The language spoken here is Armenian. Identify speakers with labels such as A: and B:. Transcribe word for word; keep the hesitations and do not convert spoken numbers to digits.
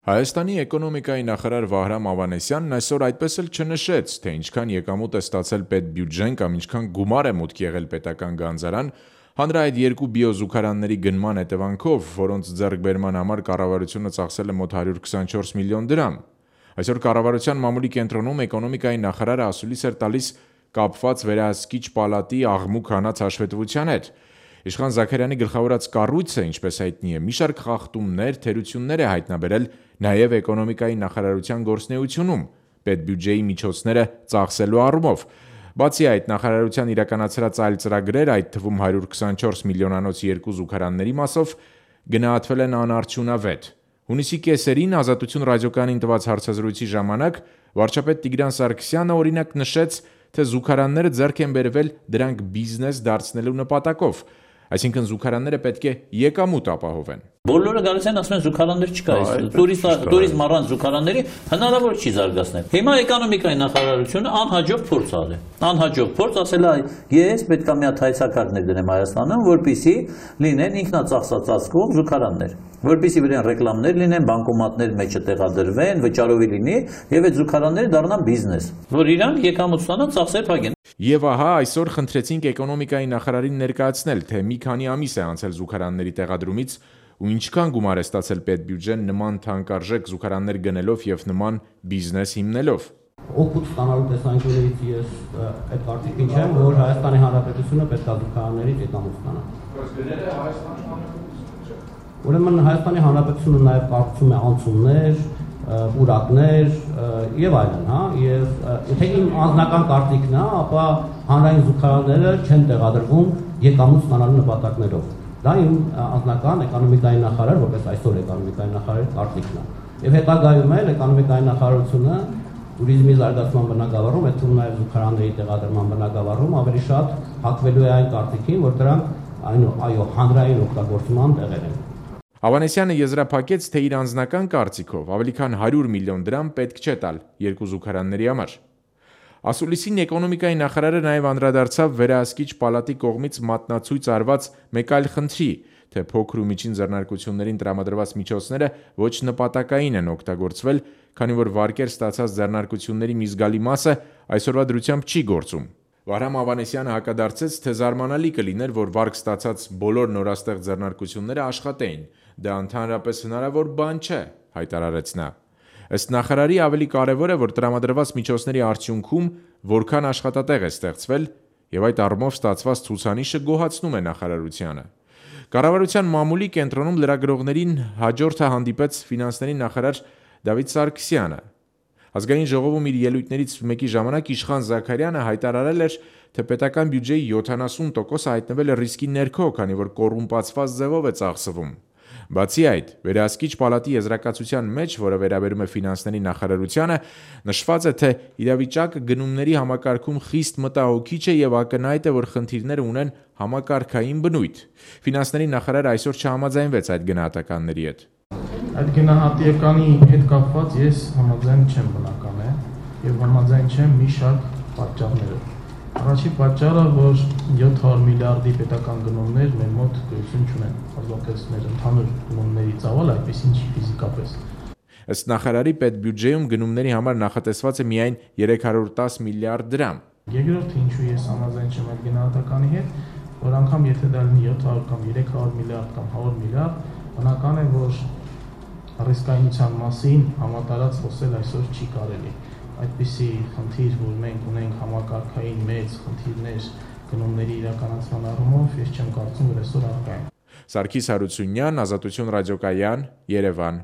A: Հայաստանի էկոնոմիկայի նախարար Վահրամ Ավանեսյանն այսօր այդպես էլ չնշեց, թե ինչքան եկամուտ է ստացել պետբյուջեն կամ ինչքան գումար է մուտք եղել պետական գանձարան, հանրահայտ երկու բիոզուգարանների գնման հետևանքով, որոնց ձեռքբերման համար կառավարությունը ծախսել է մոտ հարյուր քսանչորս միլիոն դրամ։ Այսօր կառավարության մամուլի կենտրոնում էկոնոմիկայի նախարարը ասուլիս էր տալիս կապված վերահսկիչ պալատի աղմուկ հանած հաշվետվության հետ։ Իշխան Զաքարյանի գլխավորած կառույցը, ինչպես հայտնի է, մի շարք խախտումներ, թերություններ է հայտնաբերել նաև էկոնոմիկայի նախարարության գործունեությունում, պետբյուջեի միջոցները ծախսելու առումով։ Բացի այդ, նախարարության իրականացրած այլ ծրագրեր, այդ թվում հարյուր քսանչորս միլիոնանոց երկու զուգարանների մասով, գնահատվել են անարդյունավետ։ Հունիսի կեսերին Ազատություն ռադիոկայանին տված հարցազրույցի ժամանակ վարչապետ Տիգրան Սարգսյանը օրինակ նշեց, թե զուգարանները ձեռք են բերվել դրանք բիզնես դարձնելու նպատակով, այսինքն զուգարանները պետք է եկամուտ ապահովեն։
B: Բոլորը գալիս են ասում են զուգարաններ չկա, տուրիզմ առանց զուգարանների հնարավոր չի զարգացնել։ Հիմա էկոնոմիկայի նախարարությունը անհաջող փորձ արել է։ Անհաջող փորձ ասել է, ես պետք է մի հատ հայեցակարգներ դնեմ Հայաստանում, որպեսզի լինեն ինքնածախսածածկող զուգարաններ, որպեսզի վրան ռեկլամներ լինեն, բանկոմատներ մեջը տեղադրվեն, վճարովի լինի, եւ այդ զուգարանները դառնան բիզնես, որ իրանք եկամուտ ստանան, ծախսեր փակեն։
A: Եվ ահա այսօր խնդրեցինք էկոնոմիկայի նախարարին ներկայացնել, թե մի քանի ամիս է անցել զուգարանների տեղադրումից ու ինչքան գումար է ստացել պետբյուջեն նման թանկարժեք զուգարաններ գնելով եւ նման բիզնես հիմնելով։
C: Օգուտ ստանալու տեսանկյունից ես այդ կարծիքին չեմ, որ Հայաստանի Հանրապետությունը պետք է զուգարաններից եկամուտ ստանա։
D: Բայց գները Հայաստանի Հանրապետությունը չէ։
C: Ուրեմն Հայաստանի Հանրապետությունը նաեւ կառուցում է անցումներ, պուրակներ եւ այլն, հա, եւ եթե իմ անձնական կարծիքն է, ապա հանրային զուգարանները չեն տեղադրվում եկամուտ ստանալու նպատակներով։ Դա իմ անձնական էկոնոմիկայի նախարար, որպես այսօր էկոնոմիկայի նախարարի կարծիքն է։ Եվ հետագայում էլ էկոնոմիկայի նախարարությունը տուրիզմի զարգացման բնագավառում, այդ թվում նաեւ զուգարանների տեղադրման բնագավառում ավելի շատ հակվելու է այն կարծիքին, որ դրանք այո, այո, հանրային օգտագործման տեղեր են։
A: Ավանեսյանը եզրափակեց, թե իր անձնական կարծիքով ավելի քան հարյուր միլիոն դրամ պետք չէ տալ երկու զուգարանների համար։ Ասուլիսին էկոնոմիկայի նախարարը նաև անդրադարձավ վերահսկիչ պալատի կողմից մատնացույց արված մեկ այլ խնդրի, թե փոքր ու միջին ձեռնարկություններին տրամադրված միջոցները ոչ նպատակային են օգտագործվել, քանի որ վարկեր ստացած ձեռնարկությունների մի զգալի մասը այսօրվա դրությամբ չի գործում։ Վահրամ Ավանեսյանը հակադարձեց, թե զարմանալի կլիներ, որ վարկ ստացած բոլոր նորաստեղծ ձեռնարկությունները աշխատեին, դա ընդհանրապես հնարավոր բան չէ, հայտարարեց նա։ Ըստ նախարարի ավելի կարևոր է, որ տրամադրված միջոցների արդյունքում որքան աշխատատեղ է ստեղծվել, եւ այդ առումով ստացված ցուցանիշը գոհացնում է նախարարությանը։ Կառավարության մամուլի կենտրոնում լրագրողներին հաջորդը հանդիպեց ֆինանսների նախարար Դավիթ Սարգսյանը։ Ազգային ժողովում իր ելույթներից մեկի ժամանակ Իշխան Զաքարյանը հայտարարել էր, թե պետական բյուջեի յոթանասուն տոկոսը հայտնվել է ռիսկի ներքո, քանի որ կոռումպացված ձևով է ծախսվում։ Բացի այդ, վերահսկիչ պալատի եզրակացության մեջ, որը վերաբերում է ֆինանսների նախարարությանը, նշված է, թե իրավիճակը գնումների համակարգում խիստ մտահոգիչ է եւ ակնհայտ է, որ խնդիրները ունեն համակարգային բնույթ։ Ֆինանսների նախարարը այսօր չհամաձայնվեց այդ գնահատականների հետ։
D: Այդ գնահատականի հետ կապված ես համաձայն չեմ, բնական է, եւ համաձայն չեմ մի շարք պատճառներով։ Առաջին պատճառը, որ յոթ հարյուր միլիարդի պետական գնումներ մեր մոտ գոյություն չունեն, հազվադեպ մեր ընդհանուր գնումների ծավալը այդպեսին չի ֆիզիկապես։
A: Ըստ նախարարի պետբյուջեում գնումների համար նախատեսված է միայն երեք հարյուր տասը միլիարդ դրամ։
D: Երկրորդը, ինչու ես համաձայն չեմ այդ գնահատականի հետ, որ անգամ եթե դա լինի յոթ հարյուր կամ երեք հարյուր միլիարդ կամ հազար միլիարդ, բնական է, որ ռիսկայնության մասին համատարած խոսել այսօր չի կարելի։ Այդպիսի խնդիր, որ մենք ունենք համակարգային մեծ խնդիրներ գնումների իրականացման առումով, ես չեմ կարծում, որ այսօր առկա են։
A: Սարգիս Հարությունյան, Ազատություն ռադիոկայան, Երևան։